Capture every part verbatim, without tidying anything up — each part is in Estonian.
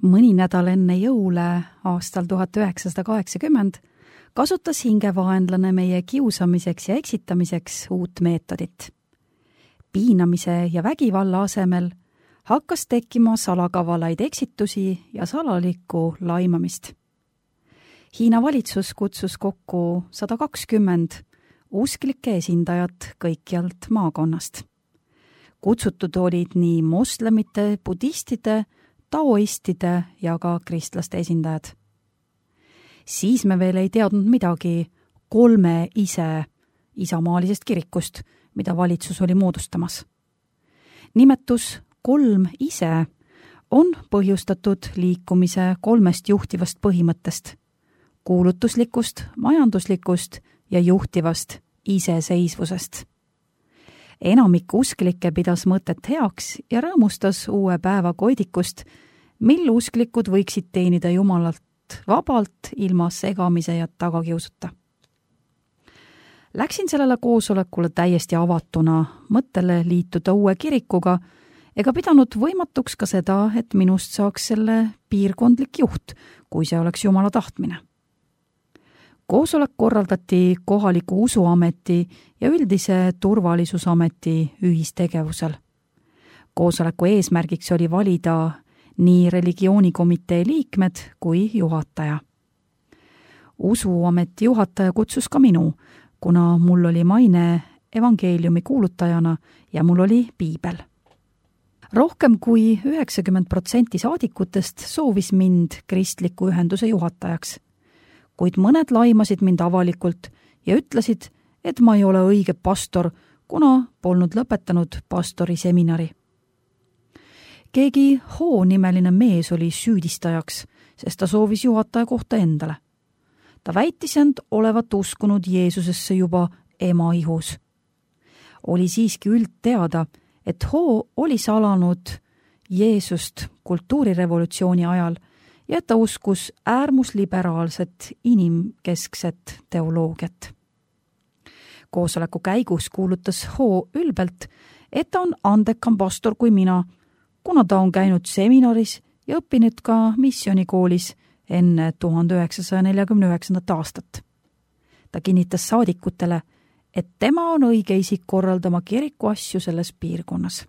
Mõni nädal enne jõule aastal tuhat üheksasada kaheksakümmend kasutas hingevaenlane meie kiusamiseks ja eksitamiseks uut meetodit. Piinamise ja vägivalla asemel hakkas tekkima salakavalaid eksitusi ja salalikku laimamist. Hiina valitsus kutsus kokku sada kakskümmend usklike esindajat kõikjalt maakonnast. Kutsutud olid nii moslemite, budistide, taoistide ja ka kristlaste esindajad. Siis me veel ei teadnud midagi kolme ise isamaalisest kirikust, mida valitsus oli moodustamas. Nimetus kolm ise on põhjustatud liikumise kolmest juhtivast põhimõttest, kuulutuslikust, majanduslikust ja juhtivast iseseisvusest. Enamik usklikke pidas mõtet heaks ja rõõmustas uue päeva koidikust, mil usklikud võiksid teenida Jumalalt vabalt ilma segamise ja tagakiusuta. Läksin sellele koosolekule täiesti avatuna mõttele liituda uue kirikuga ega pidanud võimatuks ka seda, et minust saaks selle piirkondlik juht, kui see oleks Jumala tahtmine. Koosolek korraldati kohaliku usuameti ja üldise turvalisusameti ühistegevusel. Koosoleku eesmärgiks oli valida nii religioonikomitee liikmed kui juhataja. Usuameti juhataja kutsus ka minu, kuna mul oli maine evangeeliumi kuulutajana ja mul oli piibel. Rohkem kui üheksakümmend protsenti saadikutest soovis mind kristliku ühenduse juhatajaks, kuid mõned laimasid mind avalikult ja ütlesid, et ma ei ole õige pastor, kuna polnud lõpetanud pastori seminari. Keegi H-nimeline mees oli süüdistajaks, sest ta soovis juhataja kohta endale. Ta väitis end olevat uskunud Jeesusesse juba ema ihus. Oli siiski üldteada, et H oli salanud Jeesust kultuurirevolutsiooni ajal ja ta uskus äärmusliberaalset inimkeskset teoloogiat. Koosoleku käigus kuulutas H ülbelt, et ta on andekam pastor kui mina, kuna ta on käinud seminaris ja õppinud ka missioonikoolis enne tuhande üheksasaja neljakümne üheksandat aastat. Ta kinnitas saadikutele, et tema on õige isik korraldama kiriku asju selles piirkonnas.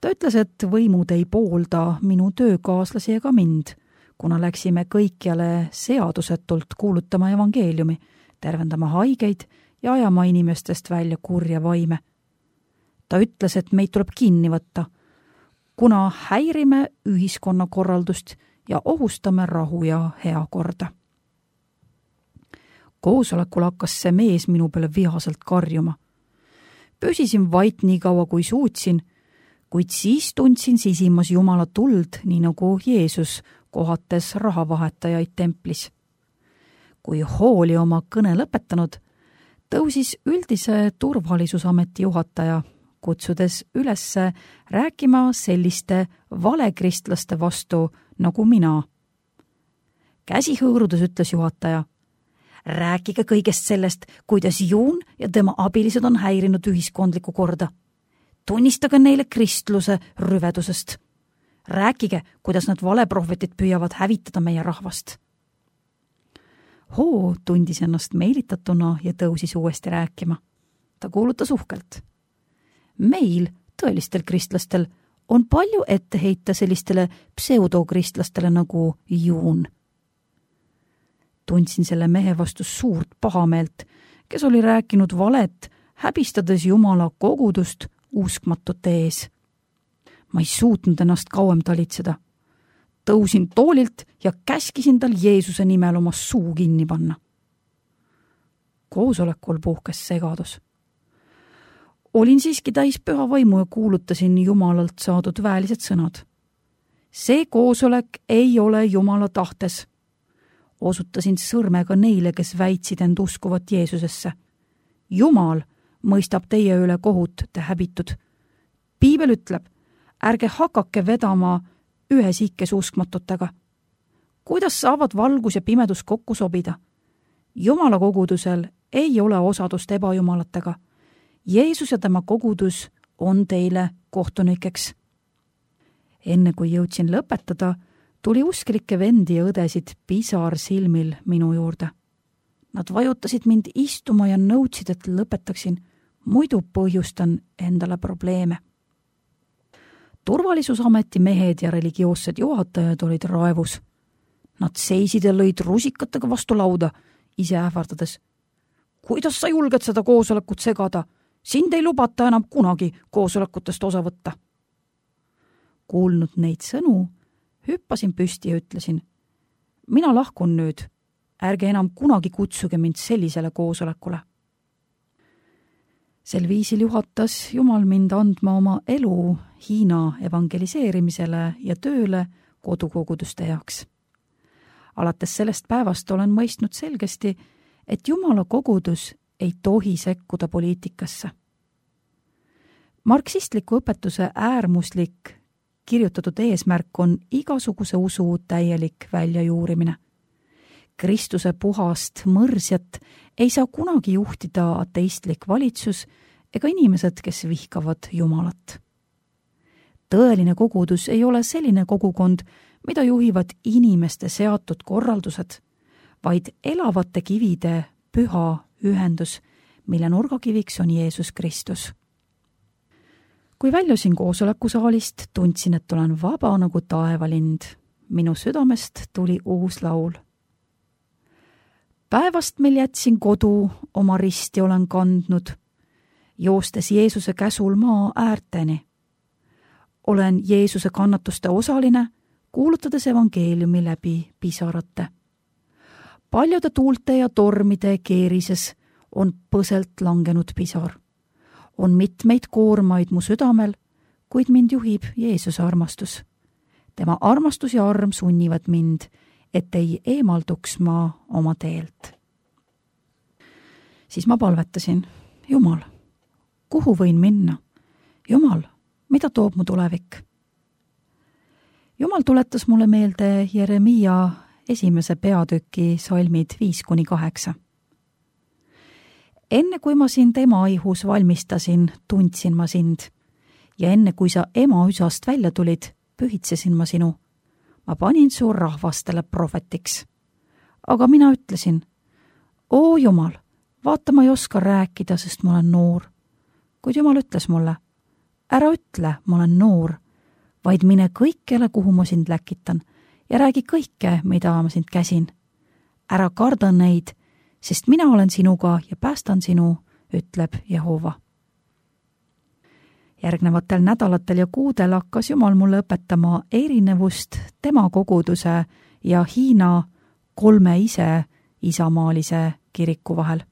Ta ütles, et võimud ei poolda minu töökaaslasi ega mind, kuna läksime kõikjale seadusetult kuulutama evangeeliumi, tervendama haigeid ja ajama inimestest välja kurja vaime. Ta ütles, et meid tuleb kinni võtta, kuna häirime ühiskonnakorraldust ja ohustame rahu ja heakorda. Koosolekul hakkas see mees minu peale vihaselt karjuma. Püsisin vait nii kaua, kui suutsin, kuid siis tundsin sisimas Jumala tuld, nii nagu Jeesus kohates rahavahetajaid templis. Kui H oli oma kõne lõpetanud, tõusis üldise turvalisusameti juhataja, kutsudes üles rääkima selliste valekristlaste vastu nagu mina. Käsi hõõrudes ütles juhataja, rääkige kõigest sellest, kuidas Juun ja tema abilised on häirinud ühiskondlikku korda. Tunnistage neile kristluse rüvedusest. Rääkige, kuidas nad valeprohvetid püüavad hävitada meie rahvast. H tundis ennast meelitatuna ja tõusis uuesti rääkima. Ta kuulutas uhkelt. Meil, tõelistel kristlastel, on palju ette heita sellistele pseudokristlastele nagu Juun. Tundsin selle mehe vastu suurt pahameelt, kes oli rääkinud valet, häbistades Jumala kogudust uskmatute ees. Ma ei suutnud ennast kauem talitseda. Tõusin toolilt ja käskisin tal Jeesuse nimel oma suu kinni panna. Koosolekul puhkes segadus. Olin siiski täis püha vaimu ja kuulutasin Jumalalt saadud väelised sõnad. See koosolek ei ole Jumala tahtes. Osutasin sõrmega neile, kes väitsid end uskuvat Jeesusesse. Jumal mõistab teie üle kohut, te häbitud. Piibel ütleb, ärge hakake vedama ühes ikkes uskmatutega. Kuidas saavad valgus ja pimedus kokku sobida? Jumala kogudusel ei ole osadust ebajumalatega. Jeesus ja tema kogudus on teile kohtunikeks. Enne kui jõudsin lõpetada, tuli usklikke vendi ja õdesid pisar silmil minu juurde. Nad vajutasid mind istuma ja nõudsid, et lõpetaksin, muidu põhjustan endale probleeme. Turvalisusameti mehed ja religioossed juhatajad olid raevus. Nad seisid ja lõid rusikatega vastu lauda, ise ähvardades. Kuidas sa julged seda koosolekut segada? Sind ei lubata enam kunagi koosolekutest osa võtta. Kuulnud neid sõnu, hüppasin püsti ja ütlesin, mina lahkun nüüd, ärge enam kunagi kutsuge mind sellisele koosolekule. Sel viisil juhatas Jumal mind andma oma elu Hiina evangeliseerimisele ja tööle kodukoguduste heaks. Alates sellest päevast olen mõistnud selgesti, et Jumala kogudus ei tohi sekkuda poliitikasse. Marksistliku õpetuse äärmuslik kirjutatud eesmärk on igasuguse usu täielik väljajuurimine. Kristuse puhast mõrsjat ei saa kunagi juhtida ateistlik valitsus ega inimesed, kes vihkavad Jumalat. Tõeline kogudus ei ole selline kogukond, mida juhivad inimeste seatud korraldused, vaid elavate kivide püha ühendus, mille nurgakiviks on Jeesus Kristus. Kui väljusin koosolekusaalist, tundsin, et olen vaba nagu taevalind. Minu südamest tuli uus laul. Päevast mil jätsin kodu, oma risti olen kandnud, joostes Jeesuse käsul maa äärteni. Olen Jeesuse kannatuste osaline, kuulutades evangeeliumi läbi pisarate. Paljude tuulte ja tormide keerises on põselt langenud pisar. On mitmeid koormaid mu südamel, kuid mind juhib Jeesuse armastus. Tema armastus ja arm sunnivad mind, et ei eemalduks ma oma teelt. Siis ma palvetasin, Jumal, kuhu võin minna? Jumal, mida toob mu tulevik? Jumal tuletas mulle meelde Jeremiia esimese peatüki salmid viis kuni kaheksa. Enne kui ma sind ema ihus valmistasin, tundsin ma sind, ja enne kui sa ema üsast välja tulid, pühitsesin ma sinu. Ma panin su rahvastele prohvetiks. Aga mina ütlesin, oo Jumal, vaata ma ei oska rääkida, sest ma olen noor. Kuid Jumal ütles mulle, ära ütle, ma olen noor, vaid mine kõikjale, kuhu ma sind läkitan, ja räägi kõike, mida ma sind käsin. Ära karda neid, sest mina olen sinuga ja päästan sinu, ütleb Jehova. Järgnevatel nädalatel ja kuudel hakkas Jumal mulle õpetama erinevust tema koguduse ja Hiina kolme ise isamaalise kiriku vahel.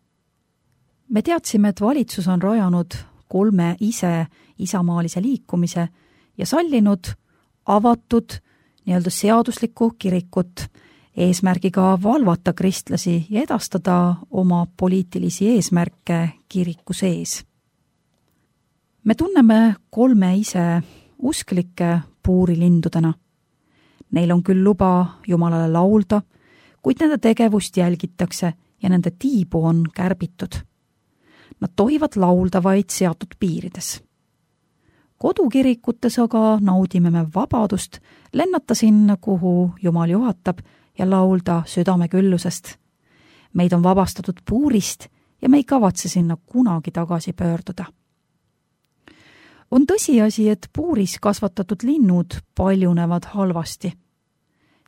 Me teadsime, et valitsus on rajanud kolme ise isamaalise liikumise ja sallinud avatud nii-öelda seaduslikku kirikut eesmärgiga valvata kristlasi ja edastada oma poliitilisi eesmärke kiriku sees. Me tunneme kolme ise usklikke puurilindudena. Neil on küll luba Jumalale laulda, kuid nende tegevust jälgitakse ja nende tiibu on kärbitud. Nad tohivad laulda vaid seatud piirides. Kodukirikutes aga naudime me vabadust lennata sinna, kuhu Jumal juhatab ja laulda südameküllusest. Meid on vabastatud puurist ja me ei kavatse sinna kunagi tagasi pöörduda. On tõsiasi, et puuris kasvatatud linnud paljunevad halvasti.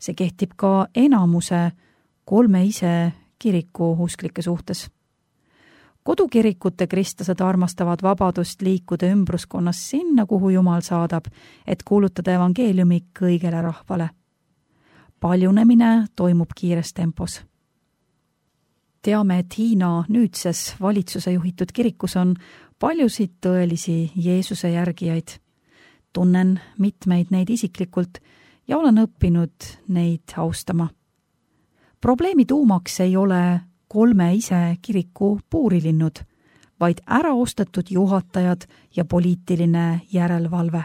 See kehtib ka enamuse kolme ise kiriku usklike suhtes. Kodukirikute kristlased armastavad vabadust liikuda ümbruskonnas sinna, kuhu Jumal saadab, et kuulutada evangeeliumi kõigele rahvale. Paljunemine toimub kiires tempos. Teame, et Hiina nüüdses valitsuse juhitud kirikus on paljusid tõelisi Jeesuse järgijaid. Tunnen mitmeid neid isiklikult ja olen õppinud neid austama. Probleemi tuumaks ei ole kolme ise kiriku puurilinnud, vaid äraostetud juhatajad ja poliitiline järelevalve.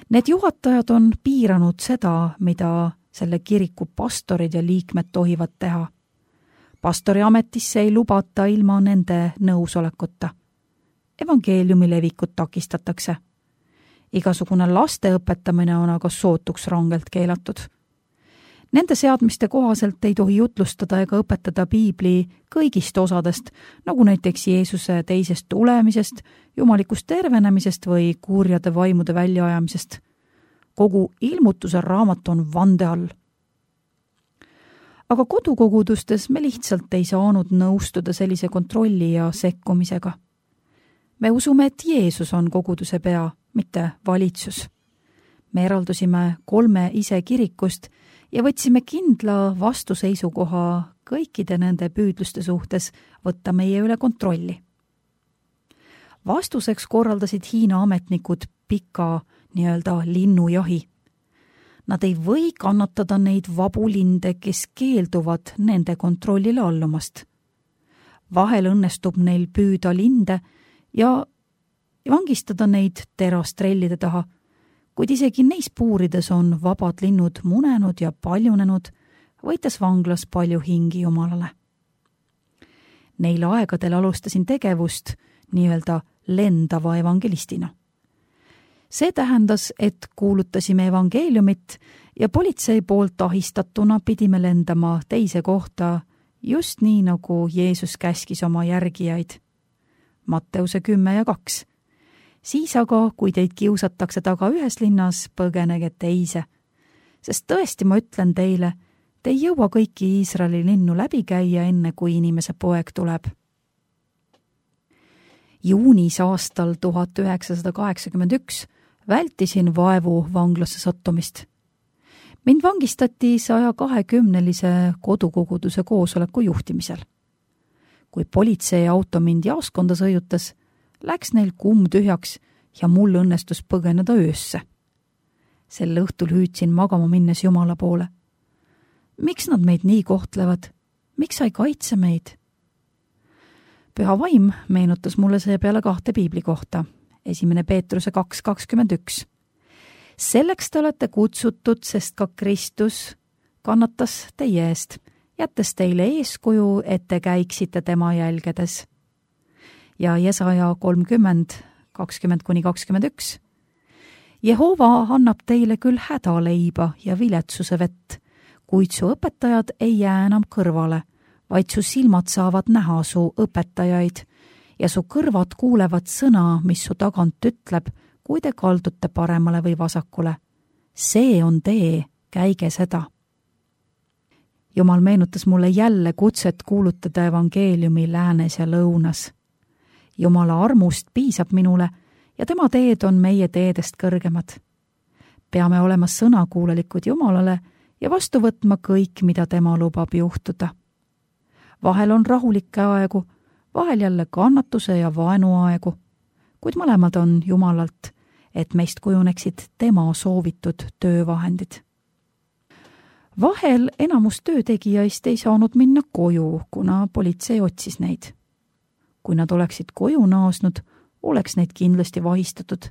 Need juhatajad on piiranud seda, mida selle kiriku pastorid ja liikmed tohivad teha. Pastori ametisse ei lubata ilma nende nõusolekuta. Evangeeliumi levikut takistatakse. Igasugune laste õpetamine on aga sootuks rangelt keelatud. Nende seadmiste kohaselt ei tohi jutlustada ega õpetada piibli kõigist osadest, nagu näiteks Jeesuse teisest tulemisest, jumalikust tervenemisest või kurjade vaimude väljaajamisest. Kogu ilmutuse raamat on vande all. Aga kodukogudustes me lihtsalt ei saanud nõustuda sellise kontrolli ja sekkumisega. Me usume, et Jeesus on koguduse pea, mitte valitsus. Me eraldusime kolme ise kirikust ja võtsime kindla vastuseisukoha kõikide nende püüdluste suhtes võtta meie üle kontrolli. Vastuseks korraldasid Hiina ametnikud pika nii-öelda linnujahi. Nad ei või kannatada neid vabu linde, kes keelduvad nende kontrollile allumast. Vahel õnnestub neil püüda linde ja vangistada neid terastrellide taha, kuid isegi neis puurides on vabad linnud munenud ja paljunenud, võites vanglas palju hingi Jumalale. Neil aegadel alustasin tegevust nii-öelda lendava evangelistina. See tähendas, et kuulutasime evangeeliumit ja politsei poolt ahistatuna pidime lendama teise kohta just nii, nagu Jeesus käskis oma järgijaid. Matteuse kümme ja kaks. Siis aga, kui teid kiusatakse taga ühes linnas, põgenege teise. Sest tõesti ma ütlen teile, te ei jõua kõiki Iisraeli linnu läbi käia, enne kui inimese poeg tuleb. Juunis aastal tuhat üheksasada kaheksakümmend üks vältisin vaevu vanglasse sattumist. Mind vangistati saja kahekümnelise kodukoguduse koosoleku juhtimisel. Kui politsei auto mind jaoskonda sõiutas, läks neil kumm tühjaks ja mul õnnestus põgeneda öösse. Sel õhtul hüüdsin magama minnes Jumala poole. Miks nad meid nii kohtlevad? Miks sa ei kaitse meid? Püha vaim meenutas mulle seepeale kahte piibli kohta. Esimene Peetruse kaks kakskümmend üks. Selleks te olete kutsutud, sest ka Kristus kannatas teie eest, jättes teile eeskuju, et te käiksite tema jälgedes. Ja Jesaja kolmkümmend kakskümmend kuni kakskümmend üks. Jehova annab teile küll hädaleiba ja viletsuse vett, kuid su õpetajad ei jää enam kõrvale, vaid su silmad saavad näha su õpetajaid ja su kõrvad kuulevad sõna, mis su tagant ütleb, kui te kaldute paremale või vasakule. See on tee, käige seda. Jumal meenutas mulle jälle kutset kuulutada evangeeliumi läänes ja lõunas. Jumala armust piisab minule ja tema teed on meie teedest kõrgemad. Peame olema sõnakuulelikud Jumalale ja vastu võtma kõik, mida tema lubab juhtuda. Vahel on rahulikke aegu, vahel jälle kannatuse ja vaenu aegu, kuid mõlemad on Jumalalt, et meist kujuneksid tema soovitud töövahendid. Vahel enamus töötegijaist ei saanud minna koju, kuna politsei otsis neid. Kui nad oleksid koju naasnud, oleks neid kindlasti vahistatud.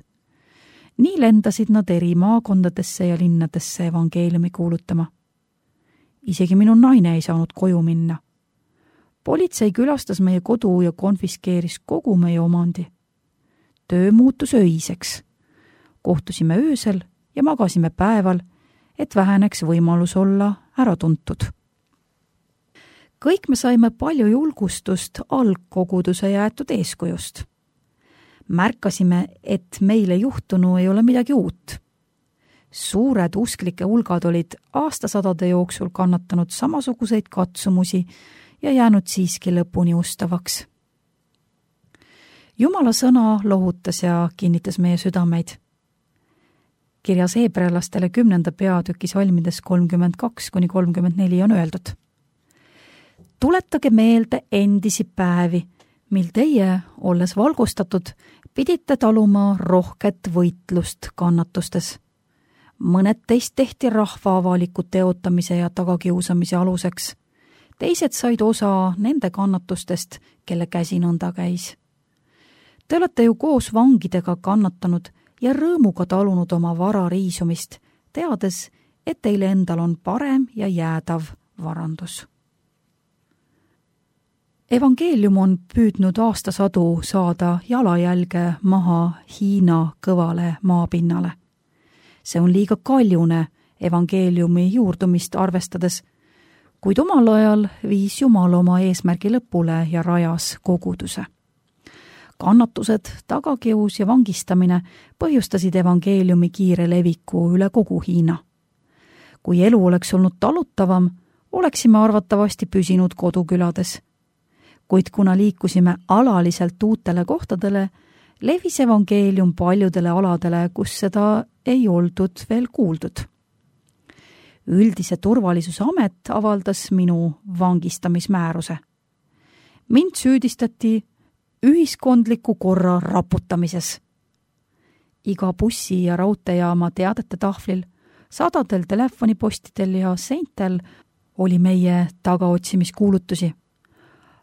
Nii lendasid nad eri maakondadesse ja linnadesse evangeeliumi kuulutama. Isegi minu naine ei saanud koju minna. Politsei külastas meie kodu ja konfiskeeris kogu meie omandi. Töö muutus öiseks. Kohtusime öösel ja magasime päeval, et väheneks võimalus olla äratuntud. Kõik me saime palju julgustust algkoguduse jäetud eeskujust. Märkasime, et meile juhtunu ei ole midagi uut. Suured usklike hulgad olid aastasadade jooksul kannatanud samasuguseid katsumusi ja jäänud siiski lõpuni ustavaks. Jumala sõna lohutas ja kinnitas meie südameid. Kirjas heebrealastele kümnenda peatüki salmides kolmkümmend kaks kuni kolmkümmend neli on öeldud. Tuletage meelde endisi päevi, mil teie, olles valgustatud, pidite taluma rohket võitlust kannatustes. Mõned teist tehti rahva avaliku teotamise ja tagakiusamise aluseks. Teised said osa nende kannatustest, kelle käsi nõnda käis. Te olete ju koos vangidega kannatanud ja rõõmuga talunud oma vara riisumist, teades, et teile endal on parem ja jäädav varandus. Evangeelium on püüdnud aastasadu saada jalajälge maha Hiina kõvale maapinnale. See on liiga kaljune, evangeeliumi juurdumist arvestades, kuid omal ajal viis Jumal oma eesmärgi lõpule ja rajas koguduse. Kannatused, tagakius ja vangistamine põhjustasid evangeeliumi kiire leviku üle kogu Hiina. Kui elu oleks olnud talutavam, oleksime arvatavasti püsinud kodukülades. Kuid kuna liikusime alaliselt uutele kohtadele, levis evangeelium paljudele aladele, kus seda ei oldud veel kuuldud. Üldise turvalisuse amet avaldas minu vangistamismääruse. Mind süüdistati ühiskondliku korra raputamises. Iga bussi- ja raudteejaama teadete tahvlil, sadadel telefonipostidel ja seintel oli meie tagaotsimiskuulutusi.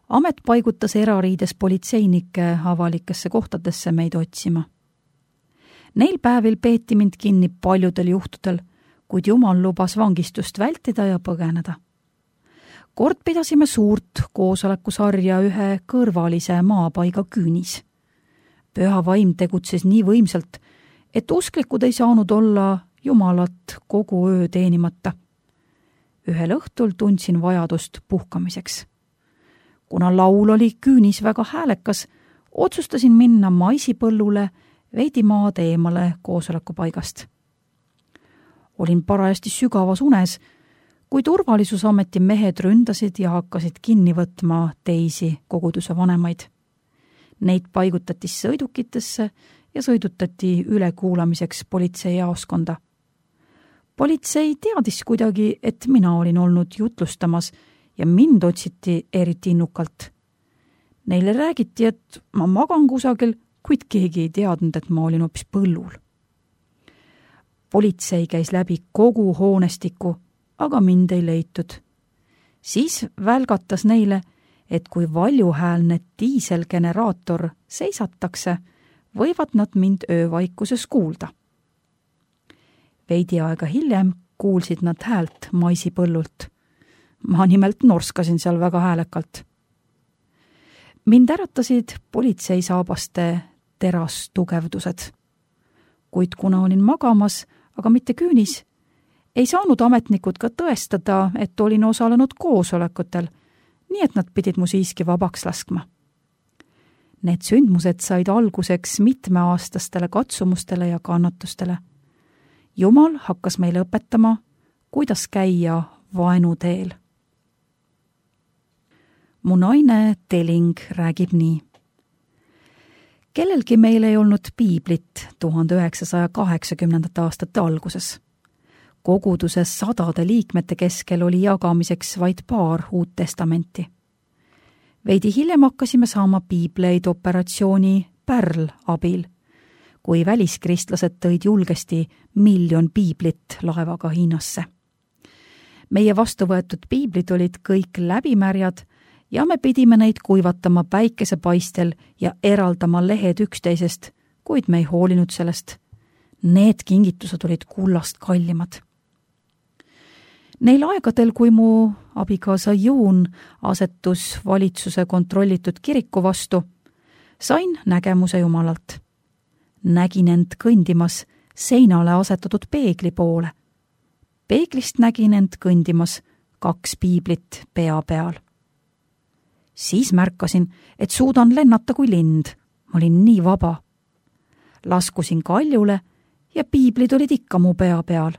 Amet paigutas erariides politseinikke avalikesse kohtadesse meid otsima. Neil päevil peeti mind kinni paljudel juhtudel, kuid Jumal lubas vangistust vältida ja põgeneda. Kord pidasime suurt koosolekusarja ühe kõrvalise maapaiga küünis. Püha vaim tegutses nii võimsalt, et usklikud ei saanud olla Jumalat kogu öö teenimata. Ühel õhtul tundsin vajadust puhkamiseks. Kuna laul oli küünis väga häälekas, otsustasin minna maisipõllule veidi maad eemale koosolekupaigast. Olin parajasti sügavas unes, kui turvalisusameti mehed ründasid ja hakkasid kinni võtma teisi koguduse vanemaid. Neid paigutati sõidukitesse ja sõidutati ülekuulamiseks politseijaoskonda. Politsei teadis kuidagi, et mina olin olnud jutlustamas ja mind otsiti eriti innukalt. Neile räägiti, et ma magan kusagil, kuid keegi ei teadnud, et ma olin hoopis põllul. Politsei käis läbi kogu hoonestiku, aga mind ei leitud. Siis välgatas neile, et kui valjuhäälne diiselgeneraator seisatakse, võivad nad mind öövaikuses kuulda. Veidi aega hiljem kuulsid nad häält maisipõllult. Ma nimelt norskasin seal väga häälekalt. Mind äratasid politseisaabaste terastugevdused. Kuid kuna olin magamas, aga mitte küünis, ei saanud ametnikud ka tõestada, et olin osalenud koosolekutel, nii et nad pidid mu siiski vabaks laskma. Need sündmused said alguseks mitmeaastastele katsumustele ja kannatustele. Jumal hakkas meile õpetama, kuidas käia vaenuteel. Mu naine Teling räägib nii. Kellelgi meil ei olnud piiblit tuhande üheksasaja kaheksakümnendate aastate alguses. Koguduses sadade liikmete keskel oli jagamiseks vaid paar uut testamenti. Veidi hiljem hakkasime saama piibleid operatsiooni Pärl abil, kui väliskristlased tõid julgesti miljon piiblit laevaga Hiinasse. Meie vastu võetud piiblid olid kõik läbimärjad ja me pidime neid kuivatama päikesepaistel ja eraldama lehed üksteisest, kuid me ei hoolinud sellest. Need kingitused olid kullast kallimad. Neil aegadel, kui mu abikaasa Juun asetus valitsuse kontrollitud kiriku vastu, sain nägemuse Jumalalt. Nägin end kõndimas seinale asetatud peegli poole. Peeglist nägin end kõndimas kaks piiblit pea peal. Siis märkasin, et suudan lennata kui lind. Ma olin nii vaba. Laskusin kaljule ja piiblid olid ikka mu pea peal.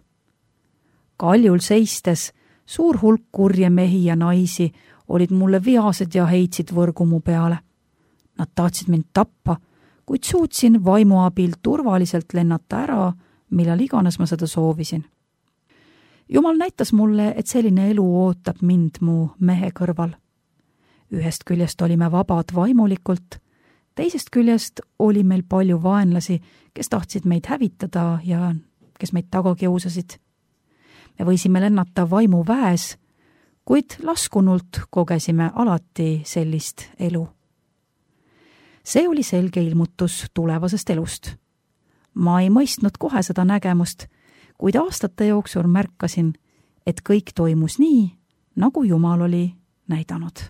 Kaljul seistes suur hulk kurje mehi ja naisi olid mulle viased ja heitsid võrgu mu peale. Nad tahtsid mind tappa, kuid suutsin vaimu abil turvaliselt lennata ära, millal iganes ma seda soovisin. Jumal näitas mulle, et selline elu ootab mind mu mehe kõrval. Ühest küljest olime vabad vaimulikult, teisest küljest oli meil palju vaenlasi, kes tahtsid meid hävitada ja kes meid taga kiusasid. Me võisime lennata vaimu väes, kuid laskunult kogesime alati sellist elu. See oli selge ilmutus tulevasest elust. Ma ei mõistnud kohe seda nägemust, kuid aastate jooksul märkasin, et kõik toimus nii, nagu Jumal oli näidanud.